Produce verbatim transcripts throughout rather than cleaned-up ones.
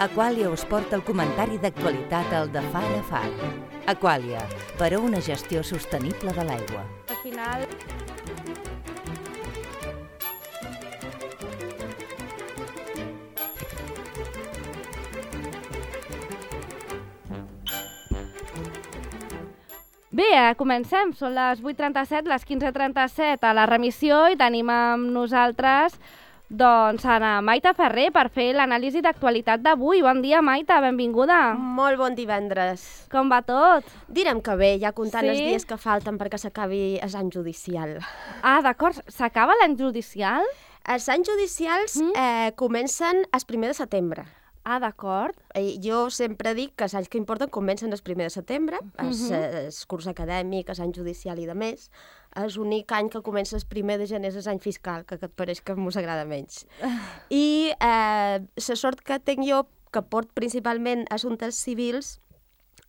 Aquàlia us porta el comentari d'actualitat al de Far a Far. Aquàlia, per a una gestió sostenible de l'aigua. Al final... Bé, comencem. Són les vuit trenta-set, les quinze trenta-set a la remissió i tenim amb nosaltres doncs, a Maite Ferrer per fer l'anàlisi d'actualitat d'avui. Bon dia, Maite, benvinguda. Molt bon divendres. Com va tot? Direm que bé, ja comptant Sí? els dies que falten perquè s'acabi l'any judicial. Ah, d'acord. S'acaba l'any judicial? Els anys judicials Mm. eh, comencen el primer de setembre. Ah, d'acord. Eh, Jo sempre dic que els anys que importen comencen el primer de setembre, el Mhm. el curs acadèmic, l'any judicial i de més. És l'únic any que comença el primer de gener és l'any fiscal, que, que et pareix que mos agrada menys. I eh, la sort que tinc jo, que port principalment assumptes civils,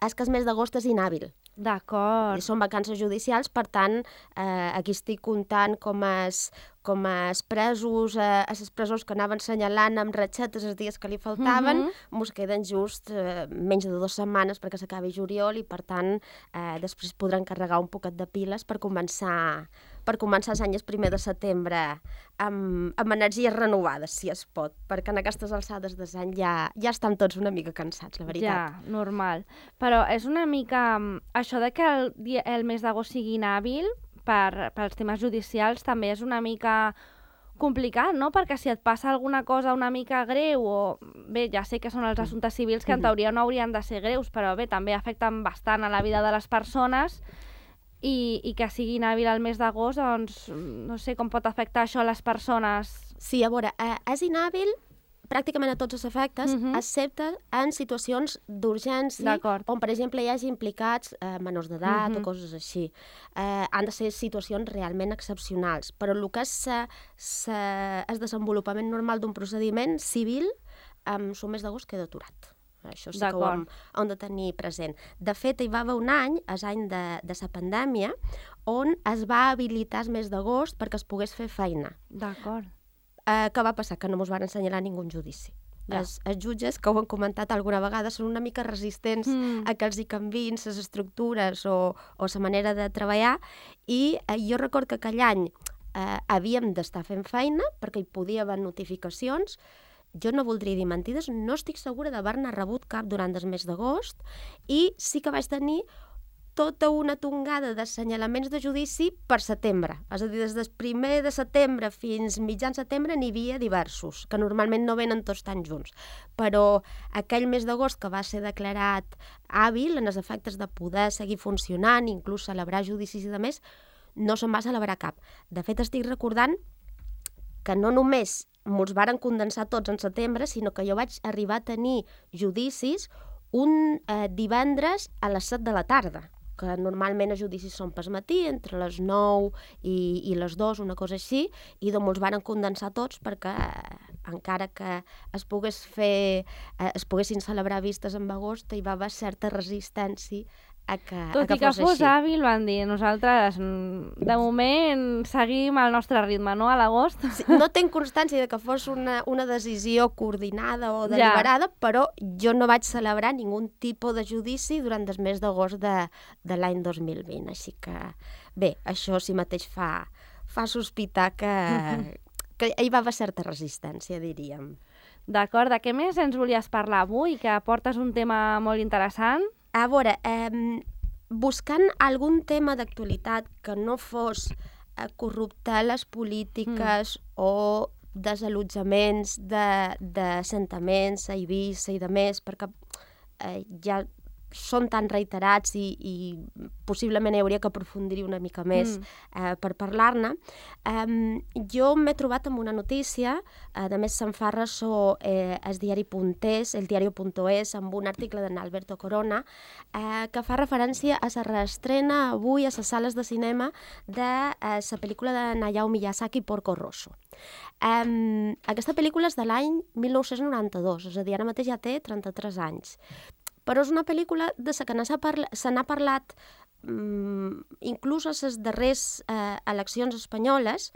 és que el mes d'agost és inhàbil. D'acord. Són vacances judicials, per tant, eh, aquí estic comptant com es, com es presos, eh, els presors que anaven assenyalant amb ratxetes els dies que li faltaven, Mhm. mos queden just eh, menys de dues setmanes perquè s'acabi juliol i, per tant, eh, després podran carregar un poquet de piles per començar per començar l'any el primer de setembre amb, amb energies renovades, si es pot, perquè en aquestes alçades de l'any ja, ja estan tots una mica cansats, la veritat. Ja, normal. Però és una mica... mm, Això de que el, dia, el mes d'agost sigui inhàbil per, pels temes judicials també és una mica complicat, no? Perquè si et passa alguna cosa una mica greu o... Bé, ja sé que són els assumptes civils que en teoria no haurien de ser greus, però bé, també afecten bastant a la vida de les persones i, i que sigui inhàbil el mes d'agost, doncs no sé com pot afectar això a les persones. Sí, a veure, eh, és inhàbil pràcticament a tots els efectes, Mhm. excepte en situacions d'urgència, D'acord. on, per exemple, hi hagi implicats eh, menors d'edat Mhm. o coses així. Eh, han de ser situacions realment excepcionals, però el que és sa, sa, el desenvolupament normal d'un procediment civil, amb el mes d'agost queda aturat. Això sí que ho hem, D'acord. hem de tenir present. De fet, hi va haver un any, l'any de, de la pandèmia, on es va habilitar el mes d'agost perquè es pogués fer feina. D'acord. Eh, què va passar? Que no mos van assenyalar ningú judici. Ja. Els, els jutges, que ho han comentat alguna vegada, són una mica resistents Mm. a que els hi canviïn les estructures o, o la manera de treballar, i eh, jo recordo que aquell any eh, havíem d'estar fent feina perquè hi podia haver notificacions. Jo no voldria dir mentides, no estic segura d'haver-ne rebut cap durant el mes d'agost, i sí que vaig tenir tota una tongada d'assenyalaments de judici per setembre. És a dir, des del primer de setembre fins mitjan setembre n'hi havia diversos, que normalment no venen tots tan junts. Però aquell mes d'agost que va ser declarat hàbil en els efectes de poder seguir funcionant, inclús celebrar judicis i de més, no se'n va celebrar cap. De fet, estic recordant que no només mos varen condensar tots en setembre, sinó que jo vaig arribar a tenir judicis un eh, divendres a les set de la tarda, que normalment els judicis són pel matí, entre les nou i, i les dues, una cosa així, i doncs els varen condensar tots perquè eh, encara que es pogués fer, eh, es poguessin celebrar vistes en agost, hi va haver certa resistència a que, Tot a que i que fos, fos així. hàbil, van dir, nosaltres mm, de moment seguim el nostre ritme, no?, a l'agost. Sí, no tinc constància de que fos una, una decisió coordinada o deliberada, ja. Però jo no vaig celebrar ningú tipus de judici durant el mes d'agost de, de l'any dos mil vint. Així que, bé, això sí mateix fa, fa sospitar que, que hi va haver certa resistència, diríem. D'acord, de què més ens volies parlar avui? Que portes un tema molt interessant. A veure, eh, buscant algun tema d'actualitat que no fos eh, corruptar les polítiques mm. o desallotjaments d'assentaments a Eivissa i de més, perquè eh, ja són tan reiterats i, i possiblement hi hauria que aprofundir una mica més mm. eh, per parlar-ne. Um, jo m'he trobat amb una notícia, a més se'n fa ressò eh, el diari Puntés, el diario.es, amb un article d'en Alberto Corona, eh, que fa referència a la reestrena avui a les sales de cinema de eh, la pel·lícula de Hayao Miyazaki, Porco Rosso. Um, aquesta pel·lícula és de l'any mil nou-cents noranta-dos, és a dir, ara mateix ja té trenta-tres anys. Però és una pel·lícula de la que se parla, n'ha parlat um, inclús a les darreres eh, eleccions espanyoles,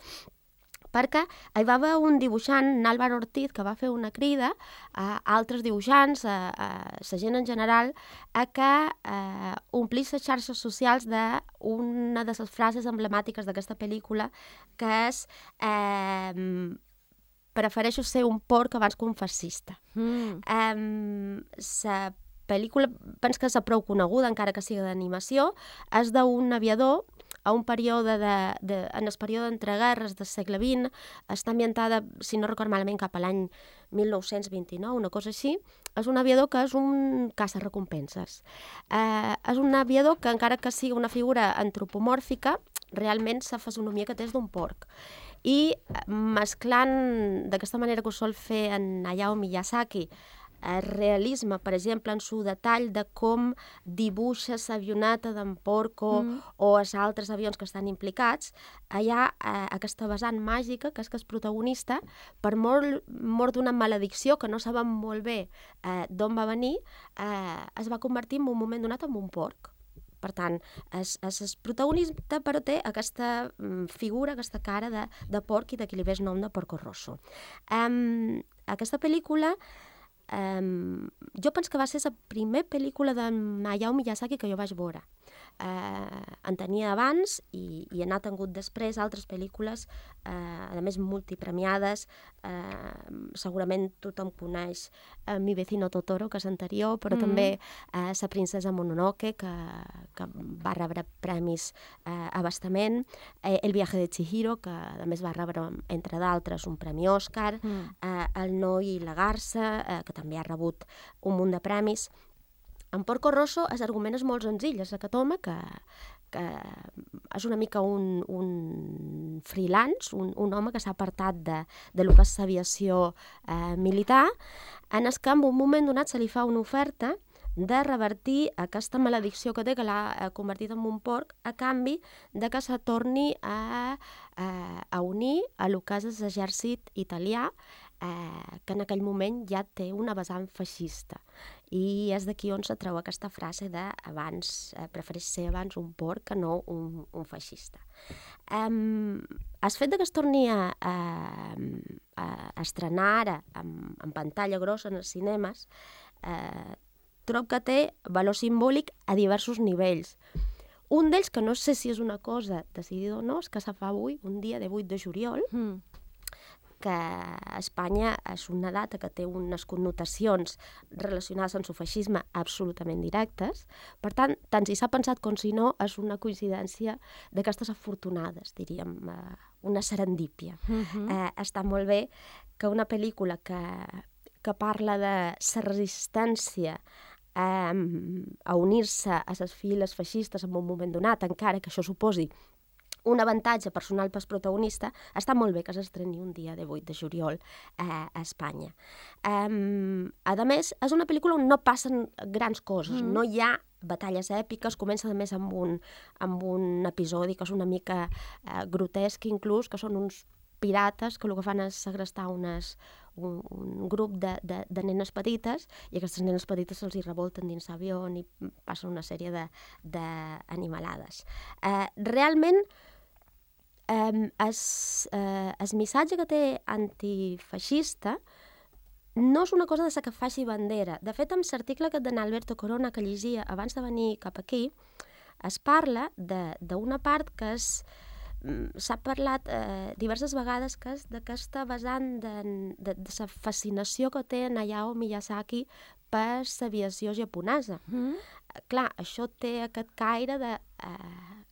perquè hi va haver un dibuixant, Álvaro Ortiz, que va fer una crida a altres dibuixants, a, a la gent en general, a que eh, omplís les xarxes socials d'una de les frases emblemàtiques d'aquesta pel·lícula, que és eh, prefereixo ser un porc abans que un fascista. Mm. Eh, la pel·lícula, penso que és prou coneguda, encara que sigui d'animació, és d'un aviador a un període de, de, en el període d'entreguerres del segle vint, està ambientada, si no record malament, cap a l'any mil nou-cents vint-i-nou, una cosa així. És un aviador que és un caça-recompenses. Eh, és un aviador que, encara que sigui una figura antropomòrfica, realment la fisonomia que té és d'un porc. I mesclant d'aquesta manera que ho sol fer en Hayao Miyazaki, el realisme, per exemple, en su detall de com dibuixa l'avioneta d'en Porco mm. o els altres avions que estan implicats, hi ha eh, aquesta vessant màgica, que és que el protagonista, per mort, mort d'una maledicció que no sabem molt bé eh, d'on va venir, eh, es va convertir en un moment donat en un porc. Per tant, és, és el protagonista, però té aquesta mm, figura, aquesta cara de, de porc, i d'aquí li ve el nom de Porco Rosso. Um, aquesta pel·lícula Um, jo penso que va ser la primera pel·lícula de Hayao Miyazaki que jo vaig veure. Uh, en tenia abans i, i n'ha tingut després altres pel·lícules, uh, a més multipremiades. Uh, segurament tothom coneix uh, Mi vecino Totoro, que és anterior, però mm. també uh, La princesa Mononoke, que, que va rebre premis uh, a bastament, uh, El viaje de Chihiro, que a més va rebre, entre d'altres, un premi Òscar, mm. uh, El noi i la garça, uh, que també ha rebut un munt de premis. En Porco Rosso el argument és molt senzill, és aquest home que, que és una mica un, un freelance, un, un home que s'ha apartat de, de lo que és l'aviació eh, militar, en el que en un moment donat se li fa una oferta de revertir aquesta maledicció que té, que l'ha convertit en un porc, a canvi de que se torni a, a, a unir a lo que és l'exèrcit italià, eh, que en aquell moment ja té una vessant feixista. I és d'aquí on se treu aquesta frase de abans, eh, prefereix ser abans un porc que no un, un feixista. Um, el fet de que es torni a, a, a estrenar ara en, en pantalla grossa en els cinemes, eh, trobo que té valor simbòlic a diversos nivells. Un d'ells, que no sé si és una cosa decidida o no, és que se fa avui, un dia de vuit de juliol, mm. que a Espanya és una data que té unes connotacions relacionades amb el feixisme absolutament directes. Per tant, tant si s'ha pensat com si no, és una coincidència d'aquestes afortunades, diríem, una serendípia. Uh-huh. Eh, està molt bé que una pel·lícula que, que parla de la resistència eh, a unir-se a les files feixistes en un moment donat, encara que això suposi un avantatge personal pel protagonista, està molt bé que s'estreni un dia de vuit de juliol eh, a Espanya. Um, a més, és una pel·lícula on no passen grans coses, mm. no hi ha batalles èpiques, comença a més amb un, amb un episodi que és una mica eh, grotesc inclús, que són uns pirates que el que fan és segrestar unes, un, un grup de, de, de nenes petites, i aquestes nenes petites se'ls hi revolten dins l'avió i passen una sèrie d'animalades. Eh, realment, eh, es, eh, el missatge que té antifeixista no és una cosa de la que faci bandera. De fet, en l'article que d'en Alberto Corona que llegia abans de venir cap aquí, es parla d'una part que és s'ha parlat eh, diverses vegades que és d'aquesta vessant de, de, de la fascinació que té en Hayao Miyazaki per l'aviació japonesa. Mm. Clar, això té aquest caire de eh,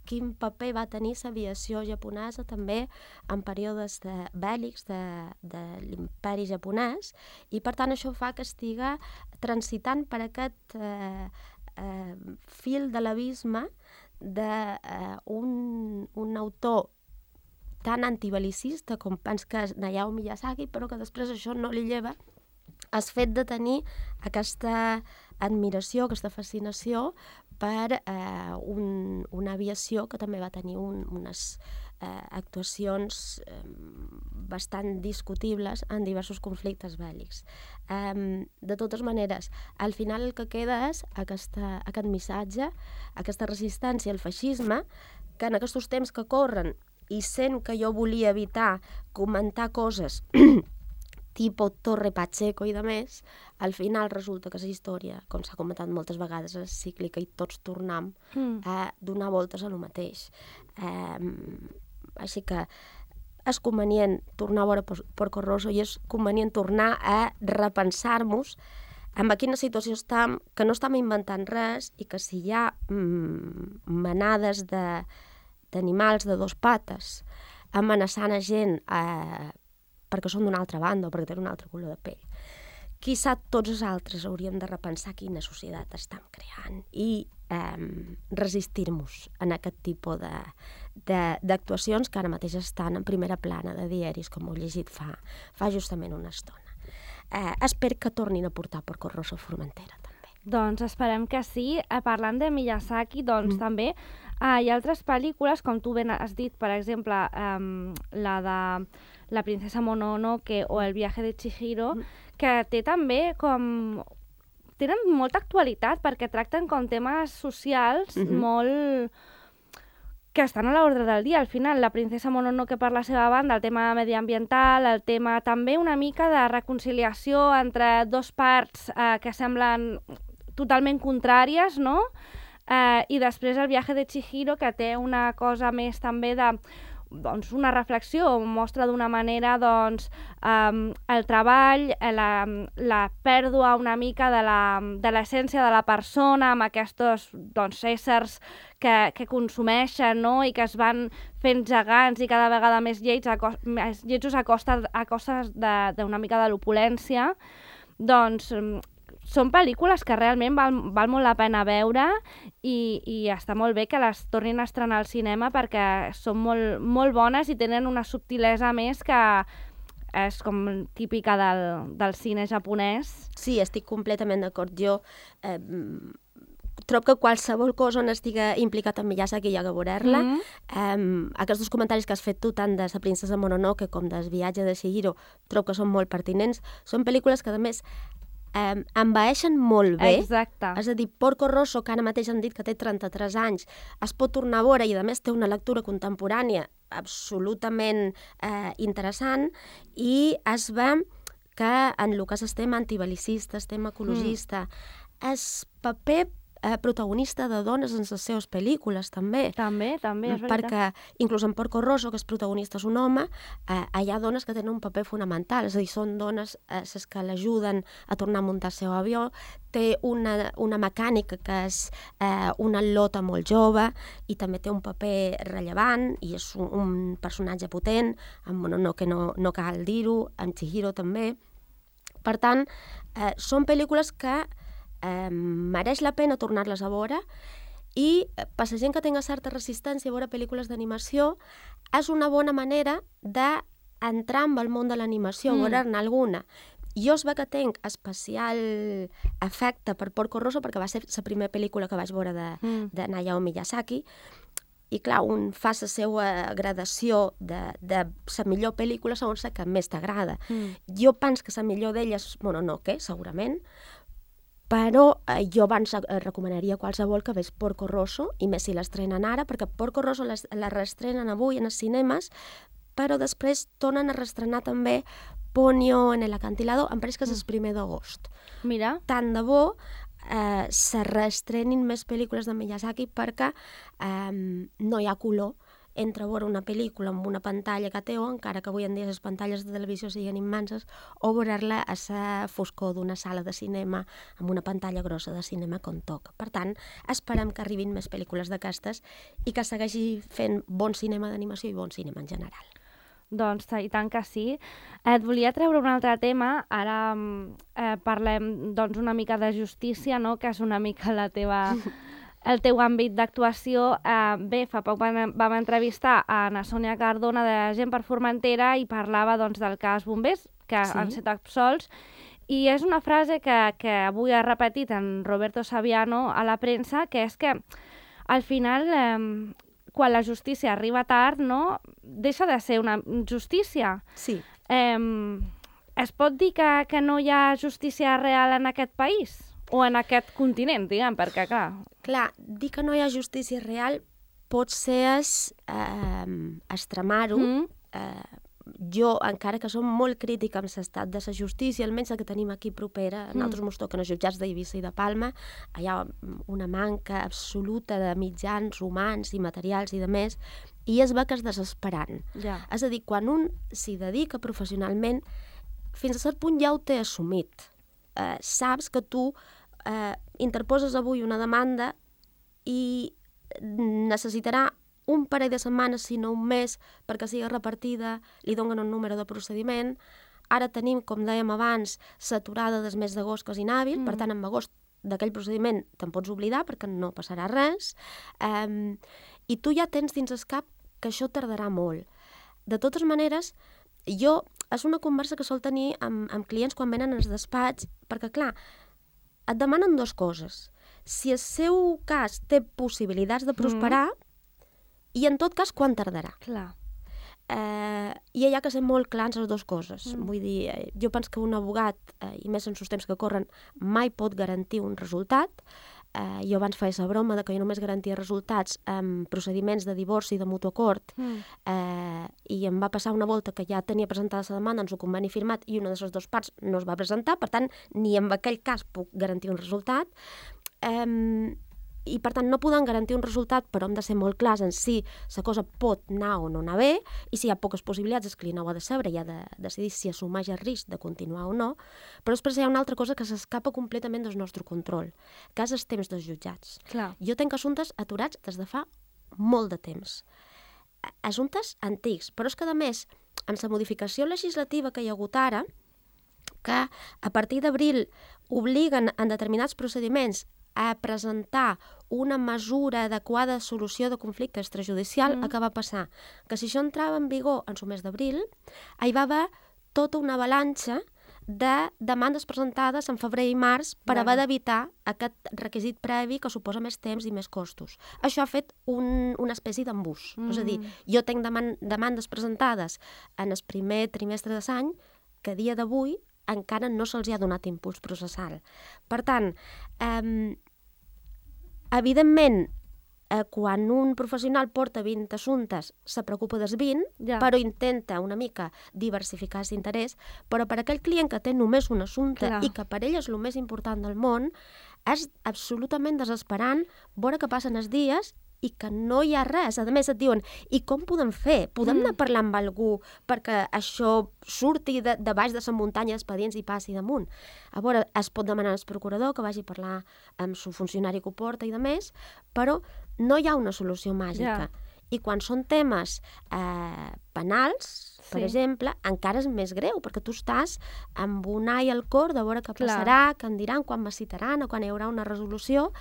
quin paper va tenir l'aviació japonesa també en períodes de bèl·lics de, de l'imperi japonès, i per tant això fa que estiga transitant per aquest eh, eh, fil de l'abisme d'un uh, un, un autor tan antibelicista com penso que és Hayao Miyazaki, però que després això no li lleva el fet de tenir aquesta admiració, aquesta fascinació per uh, un, una aviació que també va tenir un, unes uh, actuacions um, bastant discutibles en diversos conflictes bèl·lics. Um, de totes maneres, al final el que queda és aquesta, aquest missatge, aquesta resistència al feixisme, que en aquests temps que corren i sent que jo volia evitar comentar coses tipo Torre Pacheco i de més, al final resulta que la història, com s'ha comentat moltes vegades, és cíclica i tots tornem mm. a donar voltes a lo mateix. Eh, així que és convenient tornar a veure Porco Rosso i és convenient tornar a repensar-nos en quina situació estem, que no estem inventant res i que si hi ha mm, manades de, d'animals de dos pates amenaçant a gent eh, perquè són d'una altra banda o perquè tenen un altre color de pell, qui sap tots els altres hauríem de repensar quina societat estem creant i eh, resistir-nos en aquest tipus de, de, d'actuacions que ara mateix estan en primera plana de diaris, com heu llegit fa, fa justament una estona. Eh, espero que tornin a portar Porco Rosso a Formentera, també. Doncs esperem que sí. Eh, parlant de Miyazaki, doncs mm. també eh, hi ha altres pel·lícules, com tu ben has dit, per exemple, eh, la de La princesa Mononoke o El viaje de Chihiro, mm. que té també com... tenen molta actualitat perquè tracten com temes socials mm-hmm. molt... que estan a l'ordre del dia. Al final, la princesa Mononoke per la seva banda, el tema mediambiental, el tema també una mica de reconciliació entre dos parts eh, que semblen totalment contràries, no? Eh, I després el viaje de Chihiro, que té una cosa més també de... doncs, una reflexió, mostra d'una manera doncs, um, el treball, la, la pèrdua una mica de, la, de l'essència de la persona amb aquests doncs, éssers que, que consumeixen, no? I que es van fent gegants i cada vegada més llets a, cos, més lletjos a costa, a costes d'una mica de l'opulència. Doncs són pel·lícules que realment val, val molt la pena veure i, i està molt bé que les tornin a estrenar al cinema perquè són molt, molt bones i tenen una subtilesa més que és com típica del, del cine japonès. Sí, estic completament d'acord. Jo eh, trobo que qualsevol cosa on estiga implicat en Miyazaki hi ha que veure-la. Mm-hmm. Eh, aquests dos comentaris que has fet tu, tant de La princesa Mononoke com del viatge de Chihiro, trobo que són molt pertinents. Són pel·lícules que, a més, Um, envaeixen molt bé. Exacte. És a dir, Porco Rosso, que ara mateix han dit que té trenta-tres anys, es pot tornar a veure i a més té una lectura contemporània absolutament eh, interessant i es ve que en el que és el tema antibelicista, el tema ecologista, mm. és paper eh, protagonista de dones en les seves pel·lícules, també. També, també, és veritat. Perquè inclús en Porco Rosso, que és protagonista és un home, eh, hi ha dones que tenen un paper fonamental, és a dir, són dones eh, les que l'ajuden a tornar a muntar el seu avió, té una, una mecànica que és eh, una lota molt jove i també té un paper rellevant i és un, un personatge potent, amb Mononoke no, no cal dir-ho, amb Chihiro també. Per tant, eh, són pel·lícules que Eh, mereix la pena tornar-les a veure i per la gent que tenga certa resistència a veure pel·lícules d'animació és una bona manera d'entrar en el món de l'animació, mm. veure-ne alguna. Jo es ve que tenc especial afecte per Porco Rosso perquè va ser la primera pel·lícula que vaig veure de, mm. de Hayao Miyazaki i clar, un fa la seva gradació de, de la millor pel·lícula segons la que més t'agrada. Mm. Jo penso que la millor d'ella és Mononoke, segurament, però eh, jo abans eh, recomanaria qualsevol que veig Porco Rosso, i més si l'estrenen ara, perquè Porco Rosso les, la reestrenen avui en els cinemes, però després tornen a reestrenar també Ponyo en el acantilado, em pareix que és el primer d'agost. Mira. Tant de bo eh, se reestrenin més pel·lícules de Miyazaki perquè eh, no hi ha color entre veure una pel·lícula amb una pantalla que té o, encara que avui en dia les pantalles de televisió siguin immenses, o veure-la a la foscor d'una sala de cinema amb una pantalla grossa de cinema com toca. Per tant, esperem que arribin més pel·lícules d'aquestes i que segueixi fent bon cinema d'animació i bon cinema en general. Doncs i tant que sí. Et volia treure un altre tema. Ara eh, parlem doncs, una mica de justícia, no? Que és una mica la teva... el teu àmbit d'actuació. Eh, bé, fa poc vam, vam entrevistar a na Sònia Cardona de Gent per Formentera i parlava doncs, del cas Bombers, que sí. han estat absolts, i és una frase que, que avui ha repetit en Roberto Saviano a la premsa, que és que al final, eh, quan la justícia arriba tard, no, deixa de ser una justícia. Sí. Eh, es pot dir que, que no hi ha justícia real en aquest país? O en aquest continent, diguem, perquè, clar... Clar, dir que no hi ha justícia real pot ser eh, extremar-ho. Mm. Eh, jo, encara que som molt crítica amb l'estat de la justícia, almenys la que tenim aquí propera, mm. nosaltres mos toquen els jutjats d'Eivissa i de Palma, hi ha una manca absoluta de mitjans humans i materials i de més, i es veu que és desesperant. Ja. És a dir, quan un s'hi dedica professionalment, fins a cert punt ja ho té assumit. Eh, saps que tu eh, interposes avui una demanda i necessitarà un parell de setmanes, si no un mes, perquè sigui repartida, li donen un número de procediment. Ara tenim, com dèiem abans, l'aturada del mes d'agost que és inhàbil, mm. per tant, en agost d'aquell procediment te'n pots oblidar perquè no passarà res. Um, I tu ja tens dins el cap que això tardarà molt. De totes maneres, jo, és una conversa que sol tenir amb, amb clients quan venen als despatx, perquè, clar, et demanen dues coses. Si el seu cas té possibilitats de prosperar, mm. i en tot cas, quan tardarà? Clar. Eh, I hi ha que ser molt clars les dues coses. Mm. Vull dir, jo penso que un abogat, eh, i més en els temps que corren, mai pot garantir un resultat. Eh, jo abans feia la broma de que jo només garantia resultats amb procediments de divorci de mutu acord, mm. eh, i em va passar una volta que ja tenia presentada la demanda en el conveni firmat i una de les dues parts no es va presentar, per tant, ni en aquell cas puc garantir un resultat. Eh, I, per tant, no podem garantir un resultat, però hem de ser molt clars en si la cosa pot anar o no anar bé, i si hi ha poques possibilitats, el client ho ha de saber i ha de decidir si assumeix el risc de continuar o no. Però després hi ha una altra cosa que s'escapa completament del nostre control, que és els temps dels jutjats. Clar. Jo tinc assumptes aturats des de fa molt de temps. Assumptes antics, però és que, a més, amb la modificació legislativa que hi ha hagut ara, que a partir d'abril obliguen en determinats procediments a presentar una mesura adequada de solució de conflicte extrajudicial, mm. el que va passar? Que si això entrava en vigor en el mes d'abril, hi va haver tota una avalanxa de demandes presentades en febrer i març per haver d'evitar aquest requisit previ que suposa més temps i més costos. Això ha fet un, una espècie d'embús. Mm. És a dir, jo tinc deman demandes presentades en el primer trimestre de l'any que a dia d'avui encara no se'ls ha donat impuls processal. Per tant, eh, evidentment, eh, quan un professional porta vint assumptes, se preocupa dels vint, ja. Però intenta una mica diversificar l'interès, però per aquell client que té només un assumpte Clar. I que per ell és el més important del món, és absolutament desesperant veure que passen els dies i que no hi ha res. A més, et diuen, i com podem fer? Podem mm. anar parlant amb algú perquè això surti de, de baix de la muntanya d'expedients i passi damunt? A veure, es pot demanar al procurador que vagi a parlar amb el funcionari que ho porta i de més, però no hi ha una solució màgica. Yeah. I quan són temes eh, penals, per sí. exemple, encara és més greu, perquè tu estàs amb un ai al cor de veure què passarà, què en diran, quan me citaran o quan hi haurà una resolució,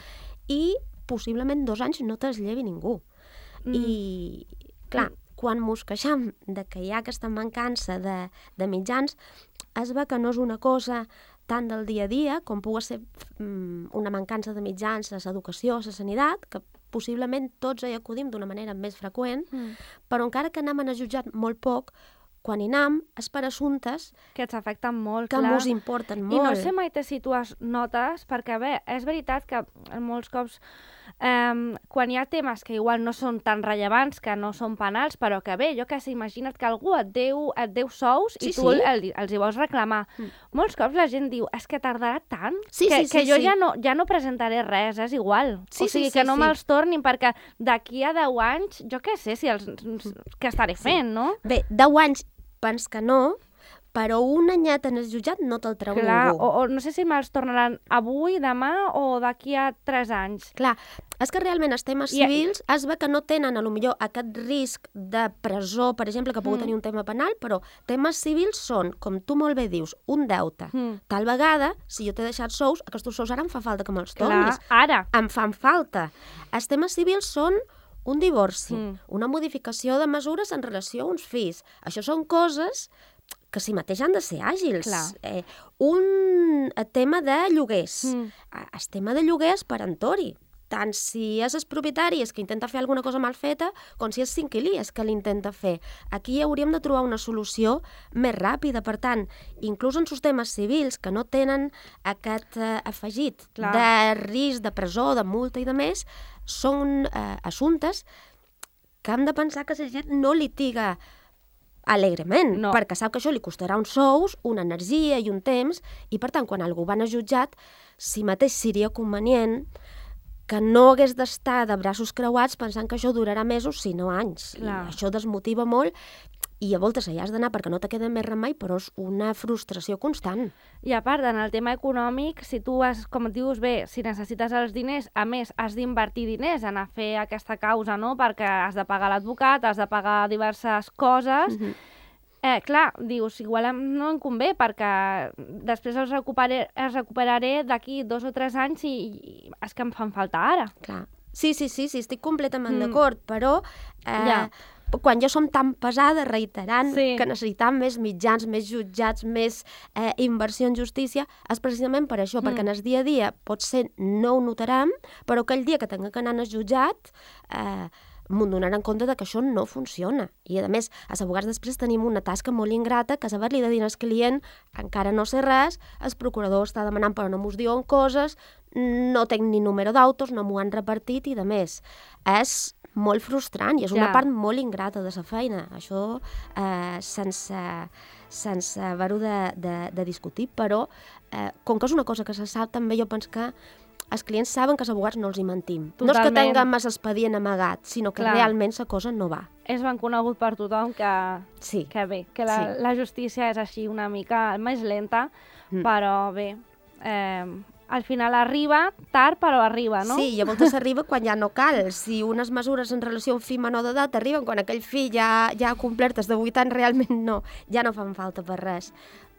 i possiblement dos anys no te'ls llevi ningú. Mm. I, clar, mm. quan mos queixam de que hi ha aquesta mancança de, de mitjans, es veu que no és una cosa tant del dia a dia, com pugui ser mm, una mancança de mitjans a l'educació, a la sanitat, que possiblement tots hi acudim d'una manera més freqüent, mm. però encara que anem a jutjat molt poc, quan hi anem és per assumptes que ens afecten molt, que clar. Mos importen molt. I no sé mai si tu has notes, perquè bé, és veritat que molts cops eh, quan hi ha temes que igual no són tan rellevants, que no són penals, però que bé, jo què sé, imagina't que algú et deu, et deu sous sí, i tu sí. el, els hi vols reclamar. Mm. Molts cops la gent diu, és que tardarà tant sí, que, sí, sí, que jo sí. Ja, no, ja no presentaré res, és igual. Sí, o sigui, sí, que sí, no sí. me'ls tornin, perquè d'aquí a deu anys, jo què sé si els, què estaré fent, sí. no? Bé, deu anys pens que no, però un anyet en el jutjat no te'l treu Clar, ningú. O, o no sé si me'ls tornaran avui, demà o d'aquí a tres anys. Clar, és que realment els temes I... civils es ve que no tenen a lo millor aquest risc de presó, per exemple, que pugui mm. tenir un tema penal, però temes civils són, com tu molt bé dius, un deute. Mm. Tal vegada, si jo t'he deixat sous, aquests sous ara em fa falta que me'ls tornis. Clar, ara. Em fan falta. Els temes civils són un divorci, mm. una modificació de mesures en relació a uns fills. Això són coses que si mateix han de ser àgils. Eh, un tema de lloguers. Mm. El tema de lloguers per entori. Tant si és el propietari és que intenta fer alguna cosa mal feta, com si és l'inquilí és que l'intenta fer. Aquí hauríem de trobar una solució més ràpida. Per tant, inclús en els temes civils que no tenen aquest eh, afegit Clar. De risc de presó, de multa i de més, són eh, assumptes que hem de pensar que la gent no litiga alegrement, No. perquè sap que això li costarà uns sous, una energia i un temps, i per tant, quan algú va anar jutjat, si mateix seria convenient que no hagués d'estar de braços creuats pensant que això durarà mesos, si no anys. Clar. I això desmotiva molt, i a voltes allà has d'anar perquè no te queda més remei, però és una frustració constant. I a part, en el tema econòmic, si tu has, com et dius bé, si necessites els diners, a més, has d'invertir diners en a fer aquesta causa, no?, perquè has de pagar l'advocat, has de pagar diverses coses. Mhm. Eh, clar, dius, igual em- no em convé perquè després els recuperaré, els recuperaré d'aquí dos o tres anys i, i és que em fan falta ara. Clar. Sí, sí, sí, sí, estic completament Mm. d'acord, però eh, Ja. quan ja som tan pesades reiterant Sí. que necessitam més mitjans, més jutjats, més eh, inversió en justícia, és precisament per això, Mm. perquè en el dia a dia potser no ho notarem, però aquell dia que tinga que anar al jutjat eh, m'ho donaran compte de que això no funciona. I, a més, els abogats després tenim una tasca molt ingrata, que és haver-li de dir al client encara no sé res, el procurador està demanant però no mos diuen coses, no tenc ni número d'autos, no m'ho han repartit i de més. És molt frustrant i és una Ja. part molt ingrata de la feina. Això eh, sense, sense haver-ho de, de, de discutir, però eh, com que és una cosa que se sap, també jo penso que els clients saben que els abogats no els hi mentim. No és que Totalment. tinguem més expedient amagat, sinó que Clar. realment la cosa no va. És ben conegut per tothom que, Sí. que bé, que la, Sí. la justícia és així una mica més lenta, Mm. però bé, eh, al final arriba, tard però arriba, no? Sí, i a voltes arriba quan ja no cal. Si unes mesures en relació a un fill menor d'edat arriben quan aquell fill ja, ja ha complert els de vuit anys, realment no, ja no fan falta per res.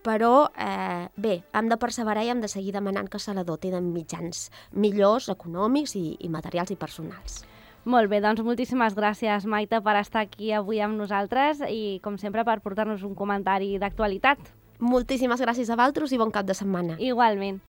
Però, eh, bé, hem de perseverar i hem de seguir demanant que se la doti de mitjans millors, econòmics i, i materials i personals. Molt bé, doncs moltíssimes gràcies, Maite, per estar aquí avui amb nosaltres i, com sempre, per portar-nos un comentari d'actualitat. Moltíssimes gràcies a vosaltres i bon cap de setmana. Igualment.